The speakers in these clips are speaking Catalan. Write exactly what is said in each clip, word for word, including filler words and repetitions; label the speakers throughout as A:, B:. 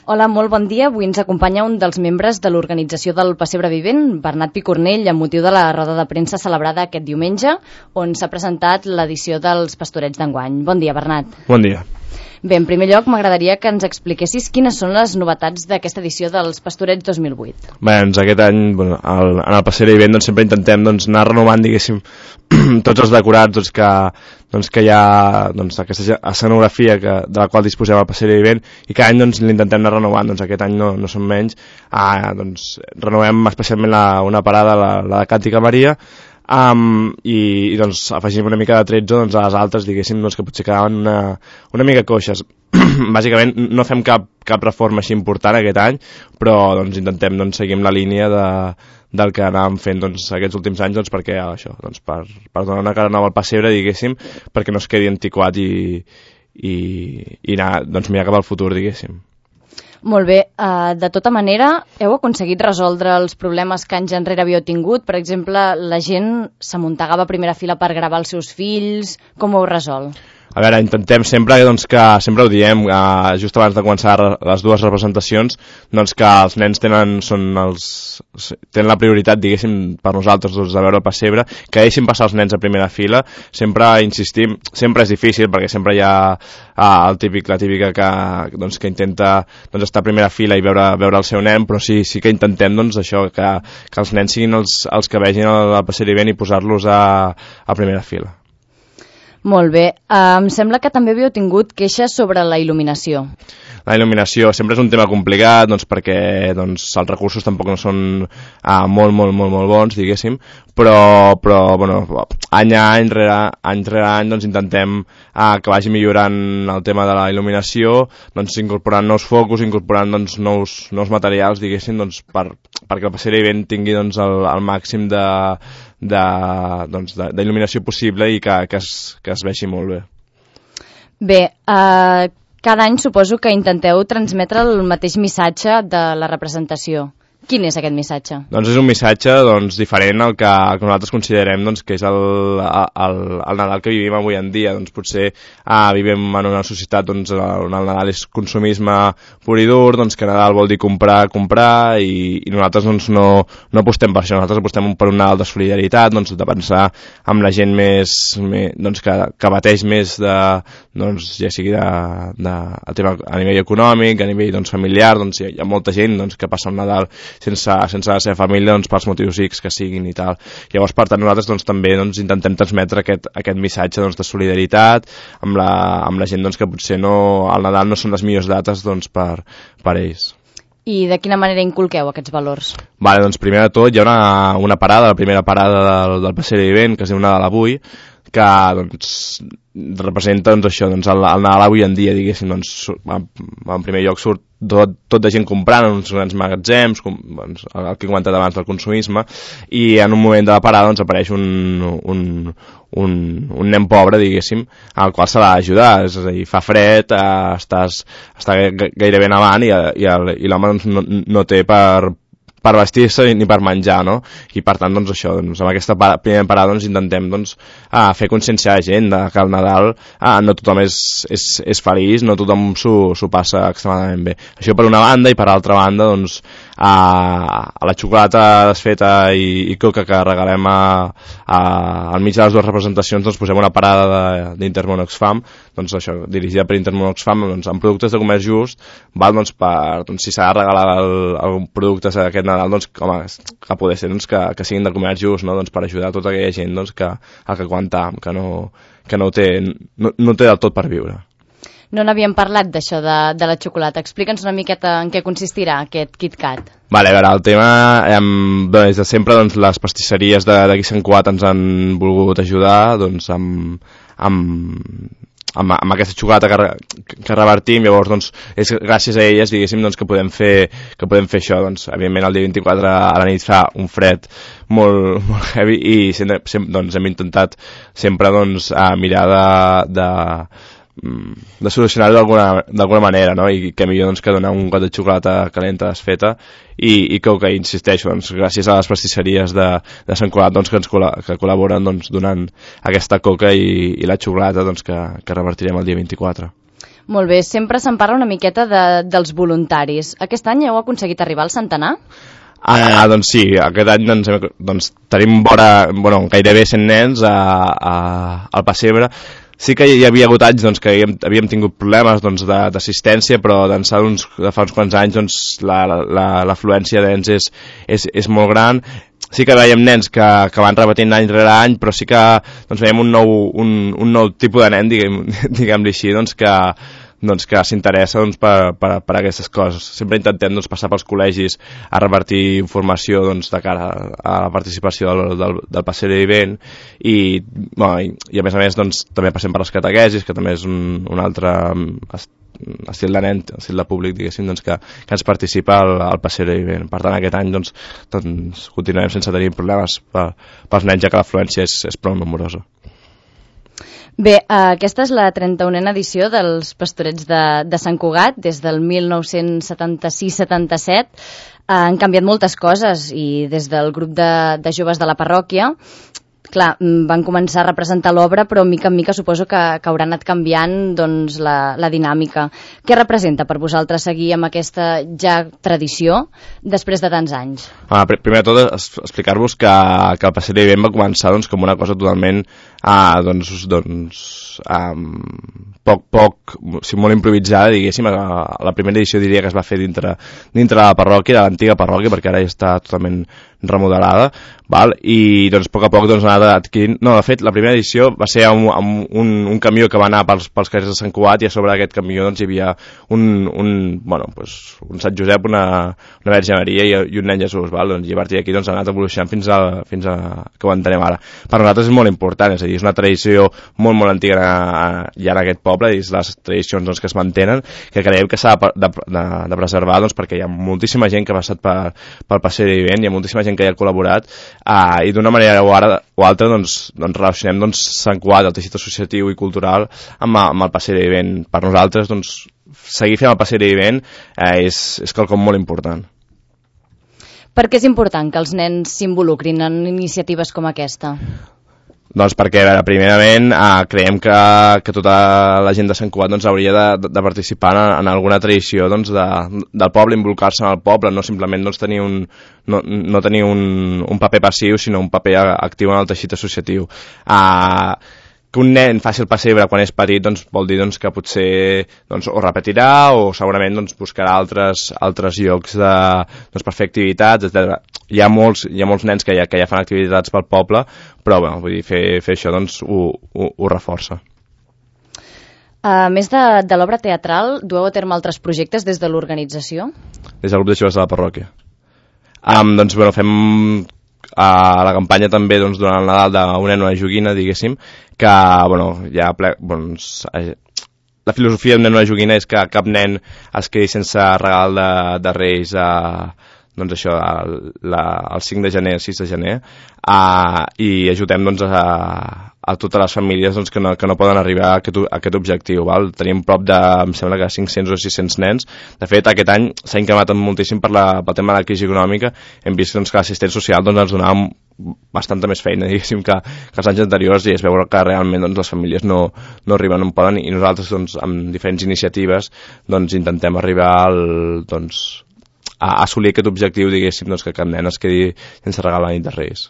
A: Hola, molt bon dia. Avui ens acompanya un dels membres de l'organització del Pessebre Vivent, Bernat Picornell, amb motiu de la roda de premsa celebrada aquest diumenge, on s'ha presentat l'edició dels Pastorets d'enguany. Bon dia, Bernat.
B: Bon dia.
A: Bé, en primer lloc, m'agradaria que ens expliquessis quines són les novetats d'aquesta edició dels Pastorets dos mil vuit.
B: Bé, doncs aquest any, bueno, el, en el Pessebre Vivent doncs, sempre intentem doncs, anar renovant, diguéssim, tots els decorats doncs, que, doncs, que hi ha doncs, aquesta escenografia que, de la qual disposem al Pessebre Vivent, i cada any doncs, l'intentem anar renovant. Doncs, aquest any no, no són menys. Ah, doncs, renovem especialment la, una parada, la, la de Càntica Maria, Um, i, i doncs afegim una mica de tretze doncs, a les altres, diguéssim, doncs, que potser quedaven una, una mica coixes. Bàsicament no fem cap, cap reforma així important aquest any, però doncs, intentem doncs, seguir la línia de, del que anàvem fent doncs, aquests últims anys, doncs, perquè això, doncs, per, per donar una cara nova al pessebre, diguéssim, perquè no es quedi antiquat i, i, i anar, doncs, mirar cap al futur, diguéssim.
A: Molt bé, uh, de tota manera, heu aconseguit resoldre els problemes que anys enrere havíeu tingut? Per exemple, la gent s'amuntegava a primera fila per gravar els seus fills, com ho heu resolt?
B: A veure, intentem sempre, doncs, que sempre ho diem, eh, just abans de començar les dues representacions, doncs que els nens tenen, són els, tenen la prioritat, diguéssim, per nosaltres, doncs, de veure el pessebre, que deixin passar els nens a primera fila. Sempre insistim, sempre és difícil, perquè sempre hi ha eh, el típic, la típica que, doncs, que intenta doncs, estar a primera fila i veure, veure el seu nen, però sí, sí que intentem doncs, això, que, que els nens siguin els, els que vegin el, el Pessebre Vivent i posar-los a, a primera fila.
A: Molt bé. Uh, em sembla que també havíeu tingut queixes sobre la il·luminació.
B: La il·luminació sempre és un tema complicat, doncs, perquè doncs, els recursos tampoc no són uh, molt, molt, molt, molt bons, diguéssim, però, però bueno, any a any, rere, any rere any, doncs, intentem uh, que vagi millorant el tema de la il·luminació, doncs, incorporant nous focus, incorporant doncs, nous, nous materials, diguéssim, doncs, per, perquè el Pessebre Vivent tingui doncs, el, el màxim de d'il·luminació doncs, possible i que, que, es, que es vegi molt bé.
A: Bé, eh, cada any suposo que intenteu transmetre el mateix missatge de la representació. Quin és aquest missatge? Doncs
B: és un missatge doncs, diferent al que, al que nosaltres considerem doncs, que és el, el, el Nadal que vivim avui en dia. Doncs, potser ah, vivim en una societat doncs, on el Nadal és consumisme pur i dur, doncs, que Nadal vol dir comprar, comprar, i, i nosaltres doncs, no, no apostem per això. Nosaltres apostem per un Nadal de solidaritat, doncs, de pensar amb la gent més, més doncs, que, que bateix més, de, doncs, ja sigui de, de, a, tema, a nivell econòmic, a nivell doncs, familiar. Doncs, hi ha molta gent doncs, que passa un Nadal sense, sense la seva família doncs, pels motius X que siguin i tal. Llavors, per tant, nosaltres doncs, també doncs, intentem transmetre aquest, aquest missatge doncs, de solidaritat amb la, amb la gent doncs, que potser no, al Nadal no són les millors dates doncs, per, per ells.
A: I de quina manera inculqueu aquests valors?
B: Vale, doncs, primer de tot hi ha una, una parada, la primera parada del, del Pessebre Vivent, que es diu Nadal avui, que doncs, representa doncs, això, doncs, el, el Nadal avui en dia, diguéssim, doncs, en primer lloc surt tot, tot de gent comprant en uns grans magatzems, com, doncs, el que he comentat abans del consumisme, i en un moment de la parada doncs, apareix un, un, un, un nen pobre, diguéssim, al qual se l'ha d'ajudar, és a dir, fa fred, eh, estàs, està gairebé nevant i, i, i l'home doncs, no, no té per per vestir-se ni per menjar, no? I per tant, doncs això, doncs, amb aquesta para, primera parada doncs, intentem doncs, a fer conscienciar a la gent de que al Nadal ah, no tothom és, és, és feliç, no tothom s'ho passa extremadament bé. Això per una banda, i per altra banda, doncs, a, a la xocolata desfeta i, i coca que regalem a, a, al mig de les dues representacions, doncs posem una parada d'Intermón Oxfam, doncs això, dirigida per Intermón Oxfam, doncs, amb productes de comerç just, val, doncs, per, doncs, si s'ha de regalar el, el producte aquest Nadal, doncs, home, que poder ser doncs, que, que siguin de comerç just, no? Doncs, per ajudar tota aquella gent doncs, que, que aguanta, que no, que no, té, no, no té del tot per viure.
A: No n'havíem parlat d'això de, de la xocolata. Explica'ns una miqueta en què consistirà aquest KitKat.
B: Vale, a veure, el tema, eh, des de sempre doncs, les pastisseries d'aquí Sant Cugat ens han volgut ajudar doncs, amb, amb, amb, amb aquesta xocolata que, que revertim. Llavors doncs, és gràcies a elles diguéssim, doncs, que, podem fer, que podem fer això. Doncs, evidentment el dia vint-i-quatre a la nit fa un fred molt, molt heavy i sempre, sempre, doncs, hem intentat sempre doncs, a mirar de... de de solucionar-ho d'alguna manera, no? I que millor doncs, que donar un got de xocolata calenta desfeta i, i que, que insisteixo, doncs, gràcies a les pastisseries de, de Sant Cugat doncs, que ens col·la, que col·laboren doncs, donant aquesta coca i, i la xocolata doncs, que, que revertirem el dia vint-i-quatre.
A: Molt bé, sempre se'n parla una miqueta de, dels voluntaris. Aquest any heu aconseguit arribar al centenar?
B: Ah, doncs sí, aquest any doncs, doncs, tenim vora, bueno, gairebé cent nens a, a, al pessebre. Sí que hi havia hagut anys doncs, que havíem, havíem tingut problemes doncs, d'assistència, però d'ençà de fa uns quants anys doncs, l'afluència la, la, de nens és, és, és molt gran. Sí que veiem nens que, que van repetint any rere any, però sí que doncs, veiem un nou, un, un nou tipus de nen, diguem, diguem-li així, doncs, que, doncs, que s'interessa doncs, per, per, per aquestes coses. Sempre intentem doncs, passar pels col·legis a repartir informació doncs, de cara a la participació del, del, del pessebre vivent i, bueno, i, i a més a més doncs, també passem per les catequesis, que també és un, un altre estil de nen, estil de públic, diguéssim, doncs, que, que ens participa al, al pessebre vivent. Per tant, aquest any doncs, doncs, continuem sense tenir problemes per, pels nens, ja que l'afluència és, és prou nombrosa.
A: Bé, aquesta és la trenta-unena edició dels Pastorets de, de Sant Cugat, des del mil nou-cents setanta-sis setanta-set. Han canviat moltes coses i des del grup de, de joves de la parròquia, clar, van començar a representar l'obra, però mica en mica suposo que, que haurà anat canviant doncs, la, la dinàmica. Què representa per vosaltres seguir amb aquesta ja tradició després de tants anys?
B: Ah, primer de tot, explicar-vos que, que el Passeig d'Ivent va començar doncs, com una cosa totalment ah, doncs, doncs, um, poc, poc, o sigui, molt improvisada, diguéssim. La primera edició diria que es va fer dintre, dintre de la parròquia, de l'antiga parròquia, perquè ara ja està totalment remodelada, val? I doncs a poc a poc doncs, ha anat adquirint... No, de fet, la primera edició va ser amb, amb un, un camió que va anar pels, pels carrers de Sant Cugat i a sobre d'aquest camió doncs, hi havia un, un, bueno, doncs, un Sant Josep, una, una Verge Maria i, i un nen Jesús, val? Doncs, i a partir d'aquí doncs, ha anat evolucionant fins a, fins a que ho entenem ara. Per nosaltres és molt important, és a dir, és una tradició molt, molt antiga ja en aquest poble, i és les tradicions doncs, que es mantenen, que creiem que s'ha de, de, de, de preservar doncs, perquè hi ha moltíssima gent que ha passat per, pel Passeig d'Ivent, hi ha moltíssima gent que hi ha col·laborat uh, i d'una manera o, ara, o altra doncs, doncs relacionem doncs, Sant Cugat, el teixit associatiu i cultural amb, amb el Passeig d'Ivent. Per nosaltres doncs, seguir fent el Passeig d'Ivent uh, és, és quelcom molt important.
A: Per què és important que els nens s'involucrin en iniciatives com aquesta?
B: Doncs perquè, a veure, primerament, eh, creiem que, que tota la gent de Sant Cugat doncs, hauria de, de participar en, en alguna tradició doncs, de, del poble, involucrar-se en el poble, no simplement doncs, tenir, un, no, no tenir un, un paper passiu, sinó un paper actiu en el teixit associatiu. Eh, que un nen faci el pessebre quan és petit doncs, vol dir doncs, que potser doncs, o repetirà o segurament doncs, buscarà altres, altres llocs de, doncs, per fer activitats, etcètera. Hi ha molts, hi ha molts nens que ja, que ja fan activitats pel poble, però bueno, vull dir, fer, fer això doncs, ho, ho, ho reforça.
A: A més de, de l'obra teatral, dueu a terme altres projectes des de l'organització?
B: Des del grup de joves de la parròquia. Um, doncs, bueno, fem a la campanya també doncs, durant el Nadal d'una nen una joguina, diguéssim, que, bueno, ja ple, doncs, la filosofia d'un nen una joguina és que cap nen es quedi sense regal de, de Reis a, doncs això, el, la, el cinc de gener, el sis de gener, a, i ajudem doncs, a, a totes les famílies doncs, que, no, que no poden arribar a aquest, a aquest objectiu. Val? Tenim prop de, em sembla que cinc-cents o sis-cents nens. De fet, aquest any s'ha incrementat moltíssim per la, pel tema de la crisi econòmica. Hem vist doncs, que l'assistent social doncs, ens donava bastanta més feina, diguéssim, que, que els anys anteriors, i es veu que realment doncs, les famílies no, no arriben on poden, i nosaltres doncs, amb diferents iniciatives doncs, intentem arribar al, doncs, a assolir aquest objectiu, diguéssim, doncs, que cap nen es quedi sense regal la nit de Reis.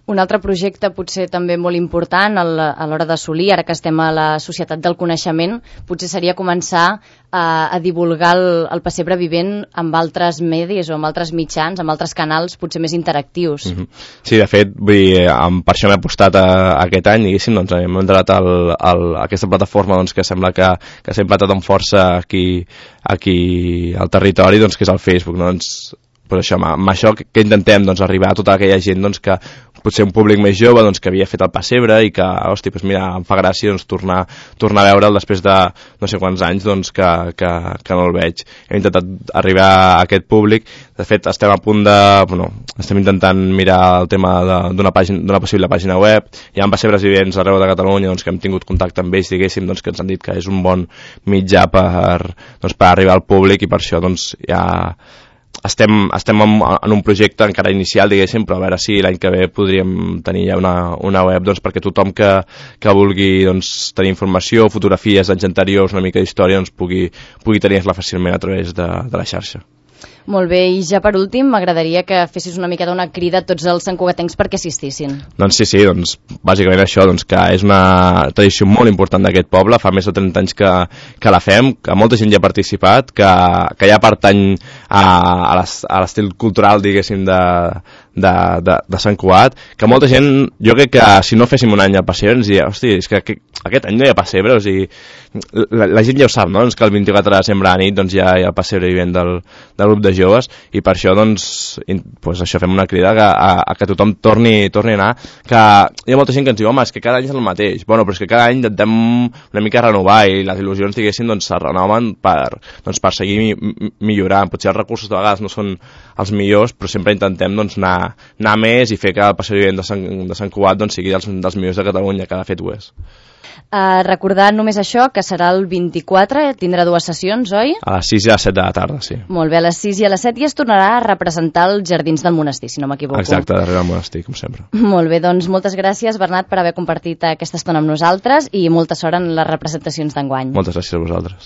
A: Un altre projecte potser també molt important a l'hora d'assolir, ara que estem a la societat del coneixement, potser seria començar a, a divulgar el, el pessebre vivent amb altres medis o amb altres mitjans, amb altres canals potser més interactius. Mm-hmm.
B: Sí, de fet, vull dir, per això m'he apostat a, a aquest any, diguéssim, doncs hem entrat al, al, a aquesta plataforma doncs, que sembla que, que s'ha implantat amb força aquí, aquí al territori, doncs, que és el Facebook, no? Doncs, pues això, amb això que, que intentem doncs, arribar a tota aquella gent doncs, que potser un públic més jove doncs, que havia fet el pessebre i que, hosti, pues mira, em fa gràcia doncs, tornar, tornar a veure'l després de no sé quants anys doncs, que, que, que no el veig. Hem intentat arribar a aquest públic. De fet, estem a punt de... Bueno, estem intentant mirar el tema d'una pàgina, d'una possible pàgina web. Hi ha pessebres vivents arreu de Catalunya doncs, que hem tingut contacte amb ells, diguéssim, doncs, que ens han dit que és un bon mitjà per, doncs, per arribar al públic, i per això doncs, ja... estem, estem en, en un projecte encara inicial, diguéssim, però a veure si l'any que ve podríem tenir ja una, una web doncs, perquè tothom que, que vulgui doncs, tenir informació, fotografies d'anys anteriors, una mica d'història, doncs, pugui, pugui tenir-la fàcilment a través de, de la xarxa.
A: Molt bé, i ja per últim m'agradaria que fessis una miqueta una crida a tots els santcugatencs perquè assistissin.
B: Doncs sí, sí, doncs bàsicament això, doncs que és una tradició molt important d'aquest poble, fa més de trenta anys que, que la fem, que molta gent hi ha participat, que, que ja pertany a, a l'estil cultural, diguéssim, de, de, de, de Sant Cugat, que molta gent, jo crec que si no féssim un any al pessebre ens diria, hosti, és que aquest any no hi ha pessebre, o sigui, la, la gent ja ho sap, no? Doncs que el vint-i-quatre de desembre a nit doncs, hi ha, hi ha pessebre vivent del, del grup de joves, i per això doncs, in, pues això fem una crida a, a, a que tothom torni, torni a anar, que hi ha molta gent que ens diu, home, és que cada any és el mateix, bueno, però és que cada any intentem una mica renovar i les il·lusions, diguéssim, doncs se renoven per, doncs, per seguir mi, millorant, potser els recursos de vegades no són els millors, però sempre intentem doncs, anar, anar més i fer que el passeig vivent de Sant, de Sant Cugat doncs, sigui dels, dels millors de Catalunya, que de fet ho és.
A: Uh, recordar només això, que serà el vint-i-quatre, tindrà dues sessions, oi?
B: A les sis i a les set de la tarda, sí.
A: Molt bé, a les sis i a les set i es tornarà a representar els jardins del monestir, si no m'equivoco.
B: Exacte, darrere del monestir, com sempre.
A: Molt bé, doncs moltes gràcies, Bernat, per haver compartit aquesta estona amb nosaltres i molta sort en les representacions d'enguany.
B: Moltes gràcies a vosaltres.